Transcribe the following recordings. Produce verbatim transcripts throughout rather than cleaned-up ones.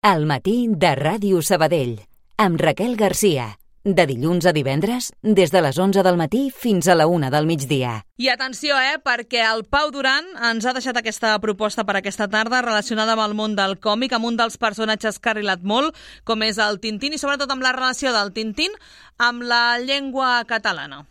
Al matí de Ràdio Sabadell, amb Raquel Garcia. De dilluns a divendres, des de les onze del matí fins a la una del migdia. I atenció, eh, perquè el Pau Duran ens ha deixat aquesta proposta per aquesta tarda relacionada amb el món del còmic, amb un dels personatges que ha arrilat molt, com és el Tintín, i sobretot amb la relació del Tintín amb la llengua catalana.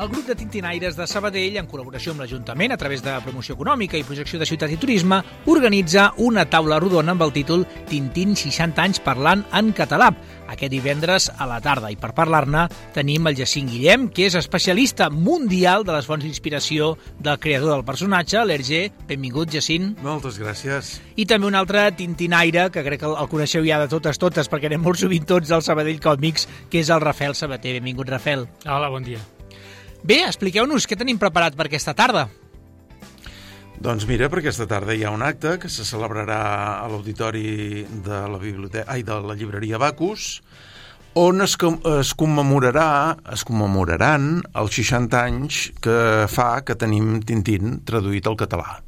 El grup de tintinaires de Sabadell, en col·laboració amb l'Ajuntament a través de promoció econòmica i projecció de ciutat i turisme, organitza una taula rodona amb el títol Tintín seixanta anys parlant en català, aquest divendres a la tarda. I per parlar-ne tenim el Jacint Guillem, que és especialista mundial de les fonts d'inspiració del creador del personatge, l'Hergé. Benvingut, Jacint. Moltes gràcies. I també un altre tintinaire, que crec que el coneixeu ja de totes totes, perquè anem molt sovint tots al Sabadell Còmics, que és el Rafael Sabater. Benvingut, Rafael. Hola, bon dia. Bé, expliqueu-nos què tenim preparat per aquesta tarda. Doncs mira, per aquesta tarda hi ha un acte que se celebrarà a l'auditori de la biblioteca, ai, de la llibreria Bacus, on es, es commemorarà, es commemoraran els seixanta anys que fa que tenim Tintín traduït al català.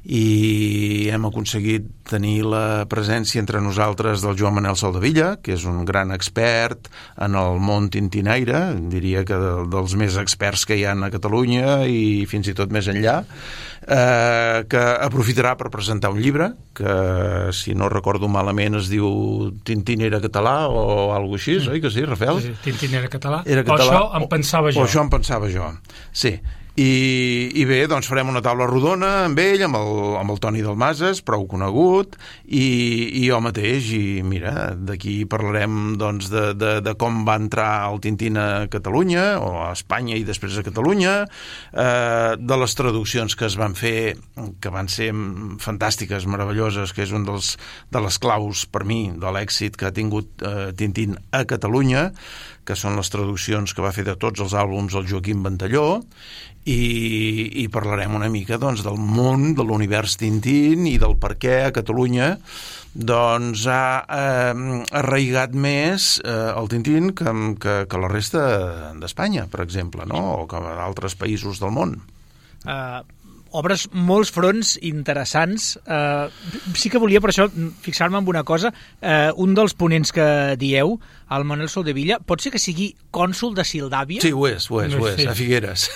I hem aconseguit tenir la presència entre nosaltres del Joan Manel Soldevilla, que és un gran expert en el món tintinaire, diria que de, dels més experts que hi ha a Catalunya i fins i tot més enllà, eh, que aprofitarà per presentar un llibre que, si no recordo malament, es diu Tintín era català o alguna cosa així, mm. oi que sí, Rafael? Sí, Tintín era català. Era català. O això em pensava jo. O això em pensava jo, sí. I, i bé, doncs farem una taula rodona amb ell, amb el, amb el Toni Dalmases, prou conegut, i, i jo mateix, i mira, d'aquí parlarem doncs, de, de, de com va entrar el Tintín a Catalunya, o a Espanya i després a Catalunya, eh, de les traduccions que es van fer, que van ser fantàstiques, meravelloses, que és un dels, de les claus, per mi, de l'èxit que ha tingut eh, Tintín a Catalunya, que són les traduccions que va fer de tots els àlbums el Joaquim Ventalló, i, i parlarem una mica doncs, del món, de l'univers Tintín i del per què a Catalunya doncs, ha eh, arraigat més eh, el Tintín que, que, que la resta d'Espanya, per exemple, no? O que d'altres països del món. Uh, obres molts fronts interessants. Uh, sí que volia, per això, fixar-me en una cosa. Uh, un dels ponents que dieu, el Manel Soldevilla, pot ser que sigui cònsol de Sildàvia? Sí, ho és, ho és, ho és, a Figueres.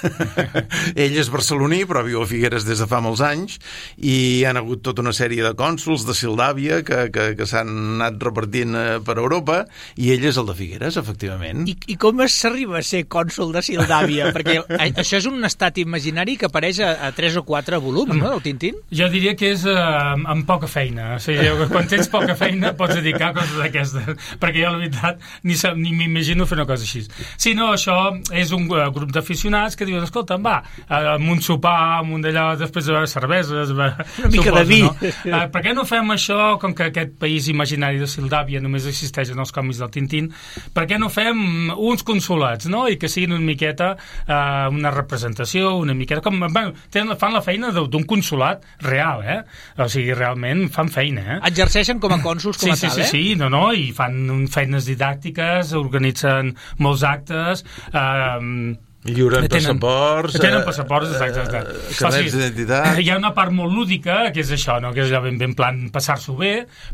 Ell és barceloní, però viu a Figueres des de fa molts anys, i hi ha hagut tota una sèrie de cònsols de Sildàvia que, que, que s'han anat repartint per Europa, i ell és el de Figueres, efectivament. I, i com s'arriba a ser cònsol de Sildàvia? Perquè això és un estat imaginari que apareix a, a tres o quatre volums, no, del Tintín? Jo diria que és uh, amb poca feina. O sigui, quan tens poca feina pots dedicar a coses d'aquestes, perquè jo, la veritat, ni, ni m'imagino fer una cosa així. Si no, això és un uh, grup d'aficionats que diuen, escolta, va, uh, amb un sopar, amb un d'allò, després de beure cerveses, va, una mica de vi. No? Uh, per què no fem això, com que aquest país imaginari de Sildàvia només existeix en els còmics del Tintín, per què no fem uns consolats, no? I que siguin una miqueta uh, una representació, una miqueta... Com, bueno, tenen, fan la feina d'un consolat real, eh? O sigui, realment fan feina, eh? Exerceixen com a cònsols com sí, a tal, sí, eh? Sí, sí, no, no, i fan feines didàctiques, organitzen molts actes, eh... Lliuren passaports, tenen passaports, exacte, exacte. Eh, carnets d'identitat. Hi ha una part molt lúdica, que és això, no? Que és ben, ben plan passar-s'ho bé,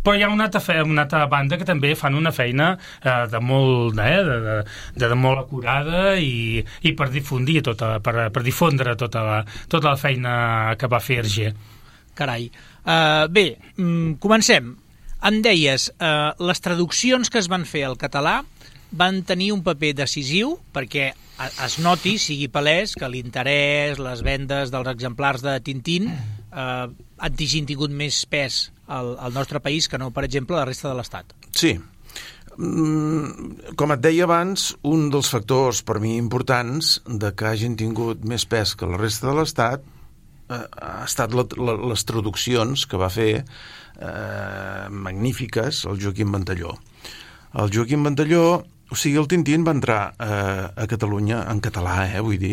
però hi ha una altra, fe, una altra banda que també fan una feina eh, de molt eh, de, de, de, de molt acurada i, i per difundir tota, per, per difondre tota la, tota la feina que va fer Hergé. Carai. Uh, bé, mm, comencem. Em deies, uh, les traduccions que es van fer al català van tenir un paper decisiu perquè es noti, sigui palès, que l'interès, les vendes dels exemplars de Tintín eh, hagin tingut més pes al, al nostre país que no, per exemple, a la resta de l'Estat. Sí. Com et deia abans, un dels factors per mi importants de que hagin tingut més pes que la resta de l'Estat eh, ha estat la, la, les traduccions que va fer eh, magnífiques el Joaquim Ventalló. El Joaquim Ventalló, o sigui, el Tintín va entrar eh, a Catalunya en català, eh, vull dir,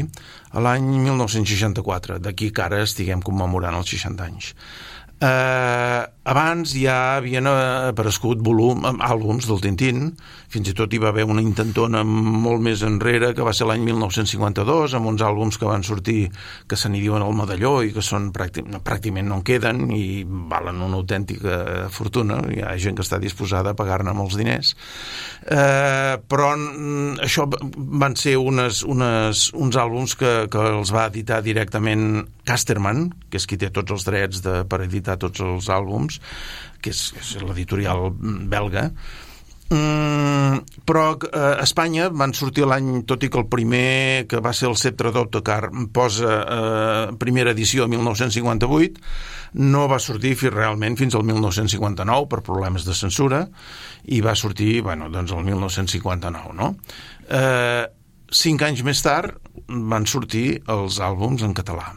a l'any mil nou-cents seixanta-quatre, d'aquí que ara estiguem commemorant els seixanta anys. Eh, abans ja havien aparegut volum, àlbums del Tintín, fins i tot hi va haver una intentona molt més enrere, que va ser l'any mil nou-cents cinquanta-dos, amb uns àlbums que van sortir, que se n'hi diuen El Medalló, i que són pràcticament, pràcticament no en queden, i valen una autèntica fortuna. Hi ha gent que està disposada a pagar-ne molts diners. Eh, però això van ser unes, unes, uns àlbums que, que els va editar directament Casterman, que és qui té tots els drets de, per editar tots els àlbums, que és, és l'editorial belga. Mm, però eh, a Espanya van sortir l'any, tot i que el primer, que va ser el Sceptre d'Autocar, posa eh, primera edició mil nou-cents cinquanta-vuit, no va sortir fins, realment fins al mil nou-cents cinquanta-nou per problemes de censura, i va sortir, bueno, doncs el mil nou-cents cinquanta-nou, no? Eh, cinc anys més tard van sortir els àlbums en català.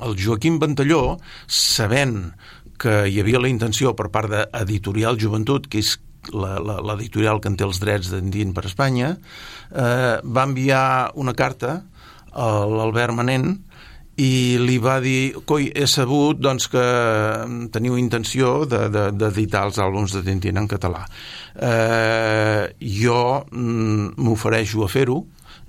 El Joaquim Ventalló, sabent que hi havia la intenció per part d'Editorial Joventut, que és l'editorial que en té els drets d'Endint per Espanya, eh, va enviar una carta a l'Albert Manent i li va dir: coi, he sabut doncs, que teniu intenció d'editar de, de, els àlbums de Tintín en català. Eh, jo m'ofereixo a fer-ho.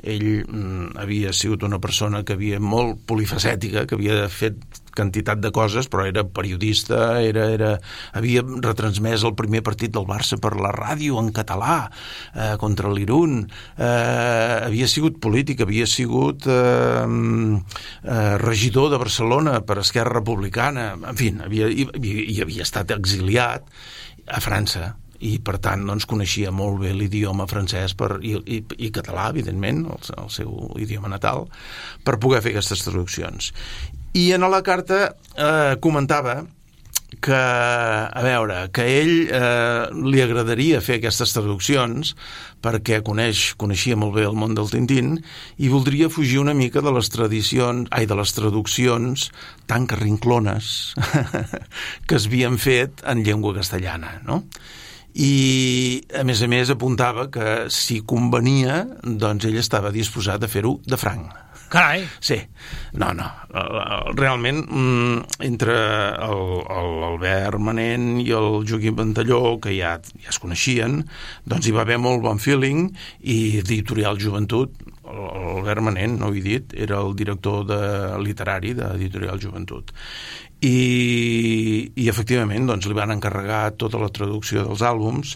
Ell mm, havia sigut una persona que havia molt polifacètica, que havia fet quantitat de coses, però era periodista, era, era, havia retransmès el primer partit del Barça per la ràdio en català, eh, contra l'Irun, eh, havia sigut polític, havia sigut eh, eh, regidor de Barcelona per Esquerra Republicana, en fi, havia, i, i havia estat exiliat a França, i per tant doncs, coneixia molt bé l'idioma francès per, i, i, i català, evidentment, el, el seu idioma natal, per poder fer aquestes traduccions. I en la carta eh, comentava que, a veure, que a ell eh, li agradaria fer aquestes traduccions perquè coneix, coneixia molt bé el món del Tintín i voldria fugir una mica de les tradicions, ai, de les traduccions tan carrinclones que es havien fet en llengua castellana, no? I a més a més apuntava que si convenia doncs ell estava disposat a fer-ho de franc. Carai! Sí, no, no, realment entre l'Albert Manent i el Joaquim Ventalló, que ja, ja es coneixien, doncs hi va haver molt bon feeling, i Editorial Joventut, l'Albert Manent, no ho he dit, era el director de, literari d'Editorial Joventut. I, i efectivament doncs, li van encarregar tota la traducció dels àlbums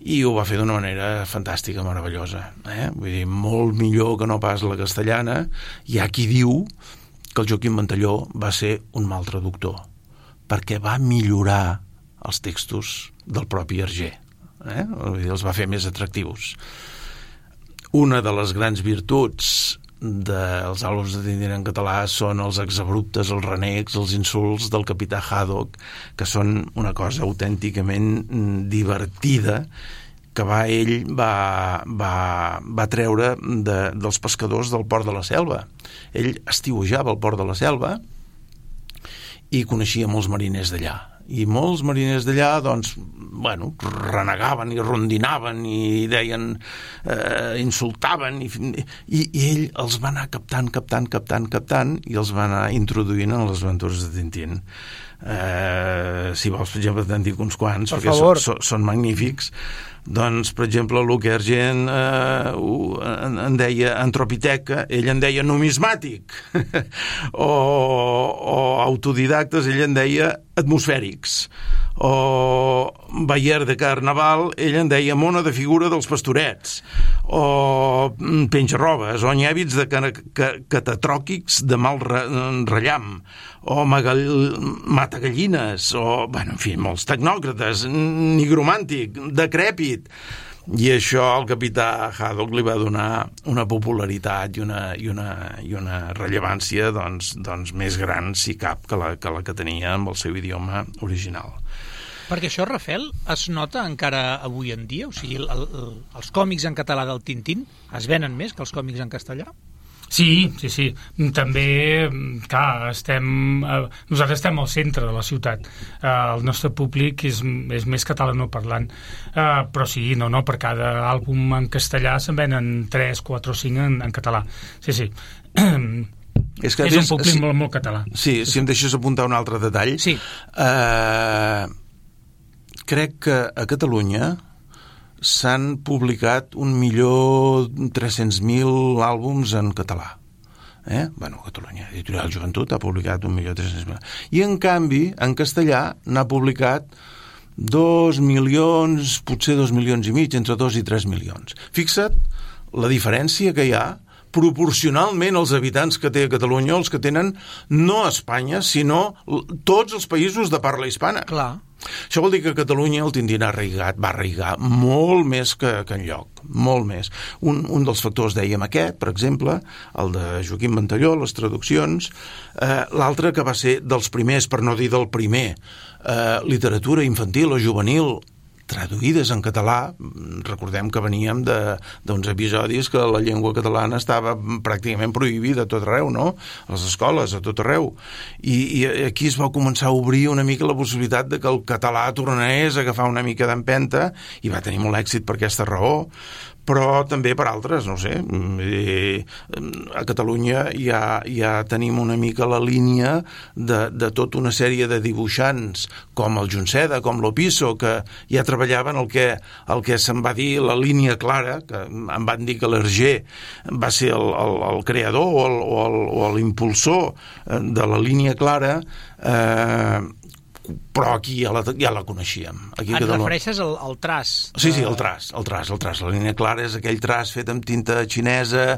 i ho va fer d'una manera fantàstica, meravellosa, eh? Vull dir, molt millor que no pas la castellana. Hi ha qui diu que el Joaquim Ventalló va ser un mal traductor perquè va millorar els textos del propi Hergé, eh? Vull dir, els va fer més atractius. Una de les grans virtuts dels àlbums de Tintín en català són els exabruptes, els renecs, els insults del capità Haddock, que són una cosa autènticament divertida que va, ell va, va, va treure de, dels pescadors del Port de la Selva. Ell estiuejava al Port de la Selva i coneixia molts mariners d'allà. I molts mariners d'allà, doncs, bueno, renegaven i rondinaven i deien, eh, insultaven, i, i, i ell els va anar captant, captant, captant, captant, i els va anar introduint en les aventures de Tintín. Eh, si vols, per exemple, te'n dic uns quants, per perquè favor. són, són magnífics. Doncs, per exemple, Luc Hergé eh, en, en deia antropiteca, ell en deia numismàtic, o, o autodidactes, ell en deia atmosfèrics, o Bayer de Carnaval, ell en deia mona de figura dels pastorets, o penjarrobes, o nyèbits de catatròquics de mal rellam, o magall... matagallines, o, bueno, en fi, molts tecnòcrates, nigromàntic, decrèpit. I això al capità Haddock li va donar una popularitat i una, i una, i una rellevància doncs, doncs més gran, si cap, que la, que la que tenia amb el seu idioma original. Perquè això, Rafel, es nota encara avui en dia? O sigui, el, el, els còmics en català del Tintín es venen més que els còmics en castellà? Sí, sí, sí. També, clar, estem, eh, nosaltres estem al centre de la ciutat. Eh, el nostre públic és, és més catalanoparlant. Eh, però sí, no, no, per cada àlbum en castellà se'n venen tres, quatre o cinc en, en català. Sí, sí. És, que, és un és, públic si, molt, molt català. Sí, si em deixes apuntar un altre detall. Sí. Eh, crec que a Catalunya s'han publicat un milió tres-cents mil àlbums en català. Eh? Bueno, Catalunya, Editorial Joventut ha publicat un milió tres-cents mil. I en canvi, en castellà n'ha publicat dos milions, potser dos milions i mig, entre dos i tres milions. Fixa't la diferència que hi ha proporcionalment als habitants que té a Catalunya, els que tenen no a Espanya, sinó tots els països de parla hispana. Clar. Això vol dir que a Catalunya el Tintín ha arraigat, va arraigar molt més que, que enlloc, molt més. Un, un dels factors, dèiem aquest, per exemple, el de Joaquim Ventalló, les traduccions, eh, l'altre que va ser dels primers, per no dir del primer, eh, literatura infantil o juvenil traduïdes en català. Recordem que veníem d'uns episodis que la llengua catalana estava pràcticament prohibida a tot arreu, no? A les escoles, a tot arreu. I, i aquí es va començar a obrir una mica la possibilitat de que el català tornés a agafar una mica d'empenta, i va tenir molt èxit per aquesta raó, però també per altres, no sé. A Catalunya ja, ja tenim una mica la línia de, de tota una sèrie de dibuixants, com el Junceda, com l'Opisso, que ja treballaven el que, el que se'n va dir la línia clara, que em van dir que l'Hergé va ser el, el, el creador o, el, o, el, o l'impulsor de la línia clara, eh, però aquí ja la, ja la coneixíem. Aquí Et Catalunya... refereixes al, al traç? Sí, sí, el traç, el traç, el traç. La línia clara és aquell traç fet amb tinta xinesa,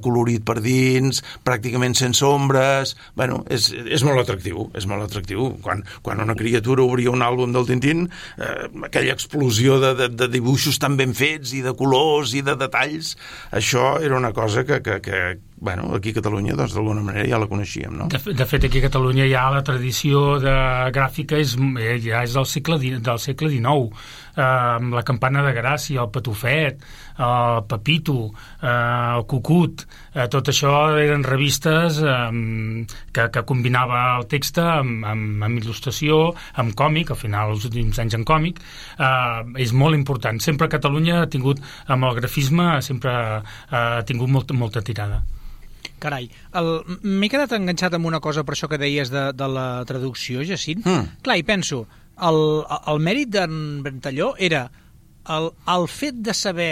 colorit per dins, pràcticament sense ombres. Bueno, és, és molt atractiu, és molt atractiu. Quan, quan una criatura obria un àlbum del Tintín, eh, aquella explosió de, de, de dibuixos tan ben fets i de colors i de detalls, això era una cosa que, que, que bueno, aquí a Catalunya, doncs, d'alguna manera ja la coneixíem, no? De, de fet, aquí a Catalunya ja la tradició de gràfica és, ja és del segle, del segle dinou, eh, amb la Campana de Gràcia, el Patufet, el Pepito, eh, el Cucut, eh, tot això eren revistes eh, que, que combinava el text amb, amb, amb il·lustració, amb còmic, al final els últims anys en còmic, eh, és molt important. Sempre Catalunya ha tingut, amb el grafisme, sempre eh, ha tingut molta, molta tirada. Carai, m'he quedat enganxat amb una cosa per això que deies de, de la traducció, Jacint. Mm. Clar, i penso, el, el mèrit d'en Ventalló era el, el fet de saber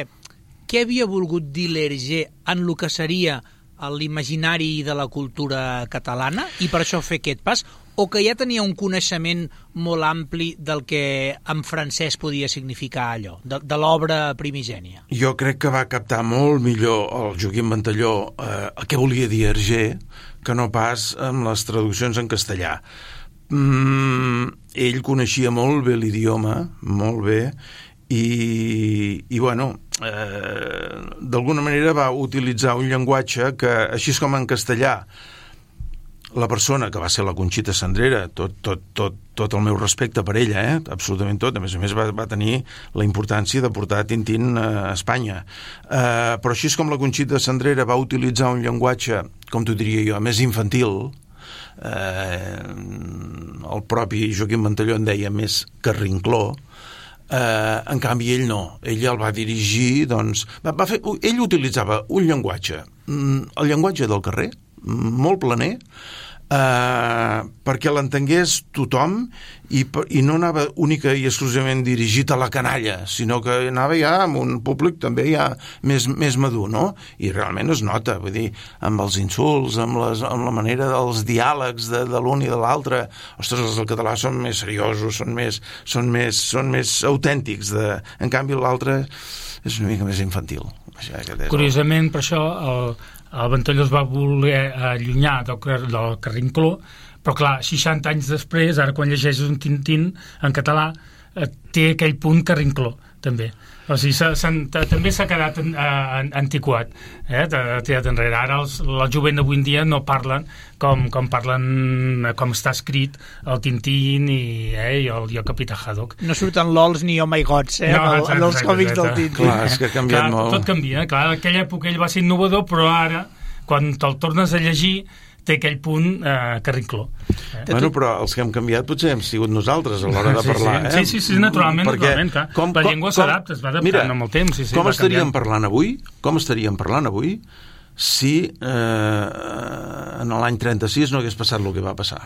què havia volgut dir l'Hergé en el que seria l'imaginari de la cultura catalana i per això fer aquest pas, o que ja tenia un coneixement molt ampli del que en francès podia significar allò, de, de l'obra primigènia? Jo crec que va captar molt millor el Joaquim Ventalló eh, què volia dir Hergé que no pas amb les traduccions en castellà. Mm, ell coneixia molt bé l'idioma, molt bé, i, i bueno, eh, d'alguna manera va utilitzar un llenguatge que, així com en castellà, la persona que va ser la Conxita Sandrera, tot, tot, tot, tot el meu respecte per ella, eh? Absolutament tot, a més a més va, va tenir la importància de portar Tintín a Espanya. Eh, però així com la Conxita Sandrera va utilitzar un llenguatge, com t'ho diria jo, més infantil, eh, el propi Joaquim Ventalló en deia més carrincló, eh, en canvi ell no, ell el va dirigir, doncs, va, va fer, ell utilitzava un llenguatge, el llenguatge del carrer, molt planer, eh, perquè l'entengués tothom i, i no anava única i exclusivament dirigit a la canalla, sinó que anava ja amb un públic també ja més, més madur, no? I realment es nota, vull dir, amb els insults, amb, les, amb la manera dels diàlegs de, de l'un i de l'altre. Ostres, els del català són més seriosos, són més, són més, són més autèntics, de... en canvi l'altre és una mica més infantil. Curiosament, per això el, el Ventalló es va voler allunyar del, del carrincló, però clar, seixanta anys després, ara quan llegeixes un Tintín en català, té aquell punt carrincló, també. O sigui, s ha, s ha, també s'ha quedat en, en, antiquat, eh? Tirat enrere. Ara els, la jovent d'avui en dia no parlen com, com parlen, com està escrit el Tintín i, eh, i, el, i el Capità Haddock. No surten lols ni oh my gods, eh? No, exacte, en els còmics del Tintín. Clar, és que ha canviat clar, molt. Tot canvia, clar, en aquella època ell va ser innovador, però ara, quan te'l tornes a llegir, té aquell punt eh, carrincló. Eh? Bueno, però els que hem canviat potser hem sigut nosaltres a l'hora de sí, parlar. Sí, eh? sí, sí, sí, naturalment, perquè naturalment clar. Com, la llengua s'adapta, es va adaptant mira, amb el temps. Sí, sí, com estaríem canviant. parlant avui? Com estaríem parlant avui si eh, en l'any trenta-sis no hagués passat el que va passar.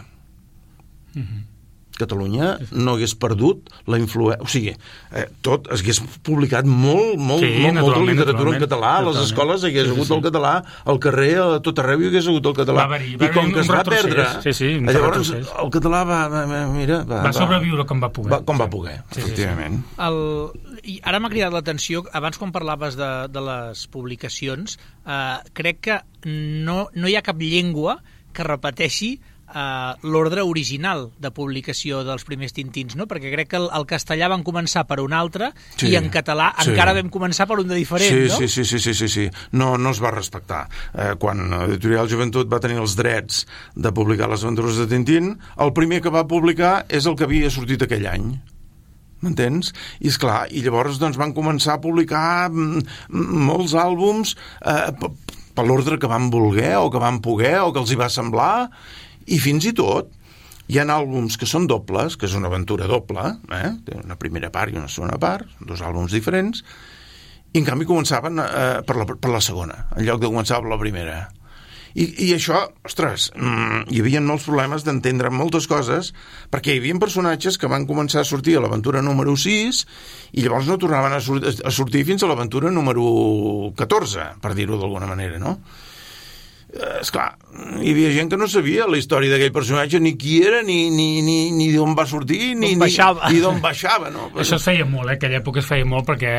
Mhm. Catalunya no hagués perdut la influència... O sigui, eh, tot es hagués publicat molt, molt, sí, molt, molta literatura en català, a les totalment. escoles hi hagués sí, hagut sí. el català, al carrer, a tot arreu hi hagués hagut el català. Va haver-hi, va I com que es va perdre, sí, sí, llavors el català va, va, mira, va, va sobreviure com va poder. Va, com va poder, sí, efectivament. Sí, sí. El... I ara m'ha cridat l'atenció, abans quan parlaves de, de les publicacions, eh, crec que no, no hi ha cap llengua que repeteixi Uh, l'ordre original de publicació dels primers Tintins, no? Perquè crec que el, el castellà van començar per un altre sí, i en català sí. encara vam començar per un de diferent, sí, no? Sí, sí, sí, sí, sí, sí. No, no es va respectar. Eh, quan Editorial Joventut va tenir els drets de publicar les aventures de Tintín, el primer que va publicar és el que havia sortit aquell any. M'entens? I és clar, i llavors doncs, van començar a publicar molts àlbums eh, per l'ordre que van voler o que van poder o que els hi va semblar. I fins i tot hi ha àlbums que són dobles, que és una aventura doble, eh? Té una primera part i una segona part, dos àlbums diferents, i en canvi començaven eh, per, la, per la segona, en lloc de començar per la primera. I, i això, ostres, mmm, hi havia molts problemes d'entendre moltes coses, perquè hi havia personatges que van començar a sortir a l'aventura número sis i llavors no tornaven a, sur a sortir fins a l'aventura número catorze, per dir-ho d'alguna manera, no? Eh, esclar, hi havia gent que no sabia la història d'aquell personatge, ni qui era, ni, ni, ni, ni d'on va sortir, ni, ni, ni d'on baixava. No? Això es feia molt, eh? Aquella època es feia molt, perquè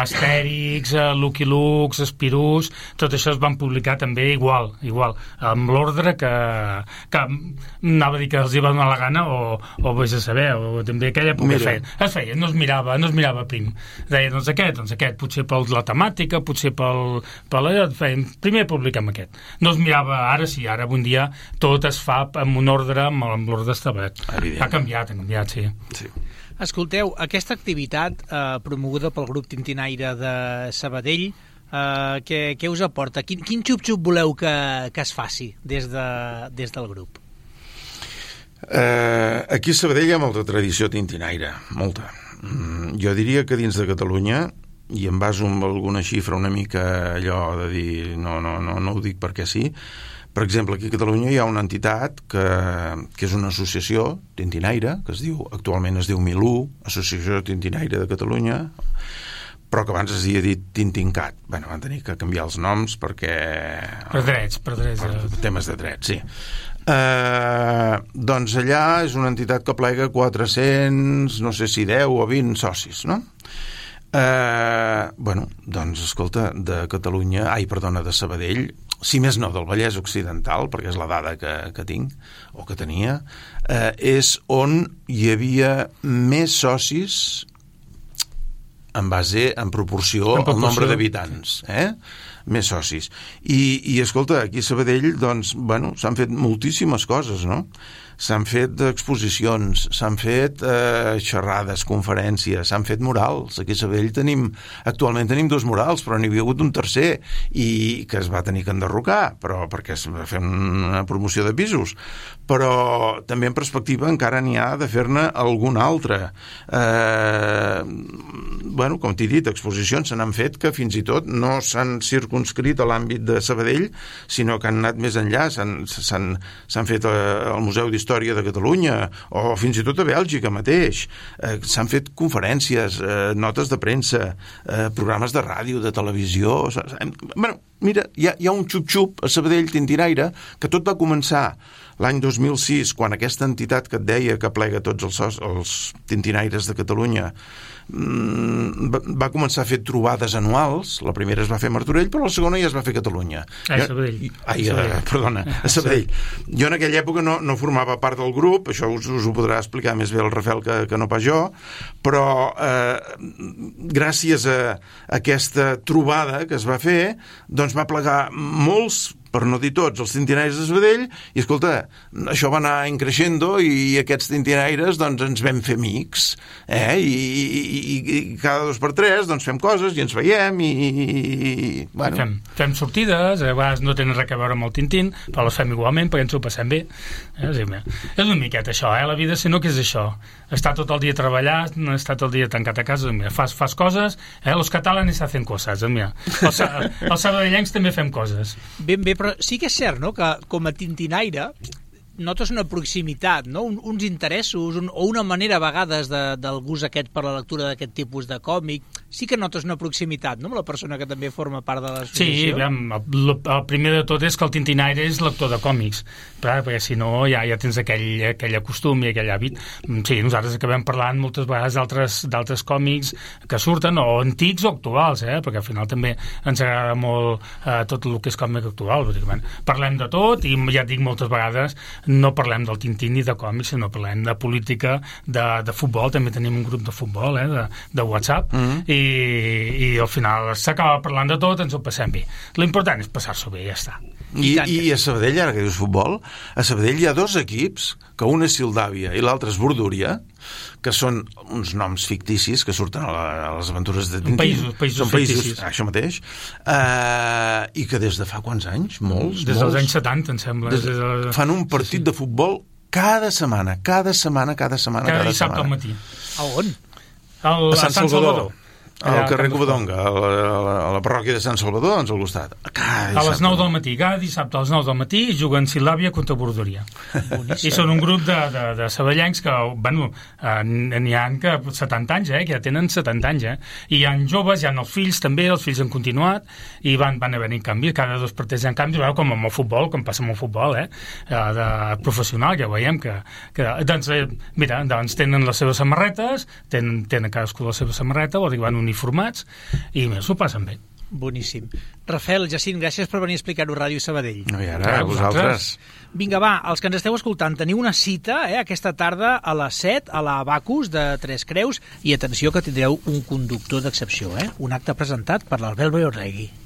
Astèrix, Lucky Luke, Spirus, tot això es van publicar també igual, igual, amb l'ordre que, que anava a dir que els hi va donar la gana, o, o vés a saber, o també aquella època es feia, es feia, no es mirava, no es mirava prim. Deia, doncs aquest, doncs aquest, potser per la temàtica, potser pel, per la... Feien, primer publicam aquest. No es mirava, ara sí, ara un dia tot es fa amb un ordre, amb, amb l'ordre establert. Ha canviat, ha canviat, sí. sí. Escolteu, aquesta activitat eh, promoguda pel grup Tintinaire de Sabadell, eh, què, què us aporta? Quin, quin xup-xup voleu que, que es faci des, de, des del grup? Eh, aquí a Sabadell hi ha molta tradició tintinaire, molta. Mm, jo diria que dins de Catalunya, i em baso amb alguna xifra una mica allò de dir no, no, no, no ho dic perquè sí, per exemple, aquí a Catalunya hi ha una entitat que, que és una associació tintinaire, que es diu, actualment es diu Milú, Associació Tintinaire de Catalunya, però que abans es havia dit Tintincat. Bueno, van tenir que canviar els noms perquè... Per drets, per drets. Per temes de drets, sí. Eh, doncs allà és una entitat que plega quatre-cents, no sé si deu o vint socis, no? Eh, bueno, doncs, escolta, de Catalunya, ai, perdona, de Sabadell, si més no, del Vallès Occidental, perquè és la dada que, que tinc, o que tenia, eh, és on hi havia més socis en base, en proporció, en proporció. al nombre d'habitants, eh? Més socis. I, i escolta, aquí a Sabadell, doncs, bueno, s'han fet moltíssimes coses, no? S'han fet exposicions, s'han fet eh, xerrades, conferències, s'han fet murals. Aquí a Sabadell tenim, actualment tenim dos murals, però n'hi havia hagut un tercer, i que es va tenir que enderrocar, però perquè es va fer una promoció de pisos. Però també en perspectiva encara n'hi ha de fer-ne algun altre. Eh, bueno, com t'he dit, exposicions se n'han fet que fins i tot no s'han circunscrit a l'àmbit de Sabadell, sinó que han anat més enllà, s'han fet al Museu d'Història de Catalunya, o fins i tot a Bèlgica mateix. Eh, s'han fet conferències, eh, notes de premsa, eh, programes de ràdio, de televisió. Bueno, mira, hi ha, hi ha un xup-xup a Sabadell Tintinaire que tot va començar l'any dos mil sis, quan aquesta entitat que et deia que plega tots els, els tintinaires de Catalunya va començar a fer trobades anuals. La primera es va fer a Martorell, però la segona ja es va fer a Catalunya. A Sabadell. Ai, a, perdona, a Sabadell. Jo en aquella època no, no formava part del grup, això us, us ho podrà explicar més bé el Rafael que, que no pas jo, però eh, gràcies a aquesta trobada que es va fer, doncs va plegar molts per no dir tots, els tintinaires de Sabadell, i escolta, això va anar increixendo i aquests tintinaires doncs ens vam fer amics, eh? I, i, i, i cada dos per tres doncs fem coses i ens veiem i... i bueno. fem, fem sortides, a vegades no tenen res a veure amb el Tintín, però les fem igualment perquè ens ho passem bé. Eh? És una miqueta això, eh? La vida, si no, què és això? Estar tot el dia treballant, estar tot el dia tancat a casa, mira, fas, fas coses, eh? Los catalanes hacen coses, mira. Els, els sabadellencs també fem coses. Ben bé, però sí que és cert, no?, que com a tintinaire notes una proximitat, no? Un, uns interessos un, o una manera a vegades de, del gust aquest per la lectura d'aquest tipus de còmic. Sí que notes una proximitat, no?, amb la persona que també forma part de l'associació. Sí, el, el primer de tot és que el tintinaire és lector de còmics, clar, perquè si no ja, ja tens aquell, aquell costum i aquell hàbit. Sí, nosaltres acabem parlant moltes vegades d'altres d'altres còmics que surten, o antics o actuals, eh? Perquè al final també ens agrada molt eh, tot el que és còmic actual. Dir, bueno, parlem de tot i ja et dic moltes vegades no parlem del Tintín ni de còmics, sinó parlem de política, de, de futbol, també tenim un grup de futbol, eh, de, de WhatsApp, mm-hmm. i, i al final s'acaba parlant de tot, ens ho passem bé. L'important és passar-s'ho bé, ja està. I, I, I a Sabadell, ara que dius futbol, a Sabadell hi ha dos equips, que un és Sildàvia i l'altre és Bordúria, que són uns noms ficticis que surten a, la, a les aventures de Tintín. Països, països són països, ficticis. Això mateix. Uh, I que des de fa quants anys? Molts, Des molts. dels anys setanta, em sembla. Des, des de... Fan un partit sí, sí. de futbol cada setmana, cada setmana, cada setmana, cada, cada dissabte setmana. al matí. A on? Al, a Sant, Sant Salvador. Salvador. Allà, al carrer Covadonga, a la, a, la, a la parròquia de Sant Salvador, doncs al costat. A les nou del matí, cada dissabte a les nou del matí juguen Sildàvia contra Bordúria. I són un grup de, de, de sabadellencs que, bueno, eh, n'hi ha que setanta anys, eh, que ja tenen setanta anys, eh? I hi ha joves, hi ha els fills també, els fills han continuat, i van, van haver-hi canvis, cada dos per tres hi ha canvis, veure, com amb el futbol, com passa amb el futbol, eh? De professional, que veiem que... que doncs, eh, mira, doncs tenen les seves samarretes, tenen, tenen cadascú la seva samarreta, vol dir que van uniformats, i més, s'ho passen bé. Boníssim. Rafael, Jacint, gràcies per venir a explicar-ho a Ràdio Sabadell. No, i ara, a vosaltres. Vinga, va, els que ens esteu escoltant, teniu una cita eh, aquesta tarda a les set a la Bacus de Tres Creus, i atenció que tindreu un conductor d'excepció, eh? Un acte presentat per l'Albert Beorregui.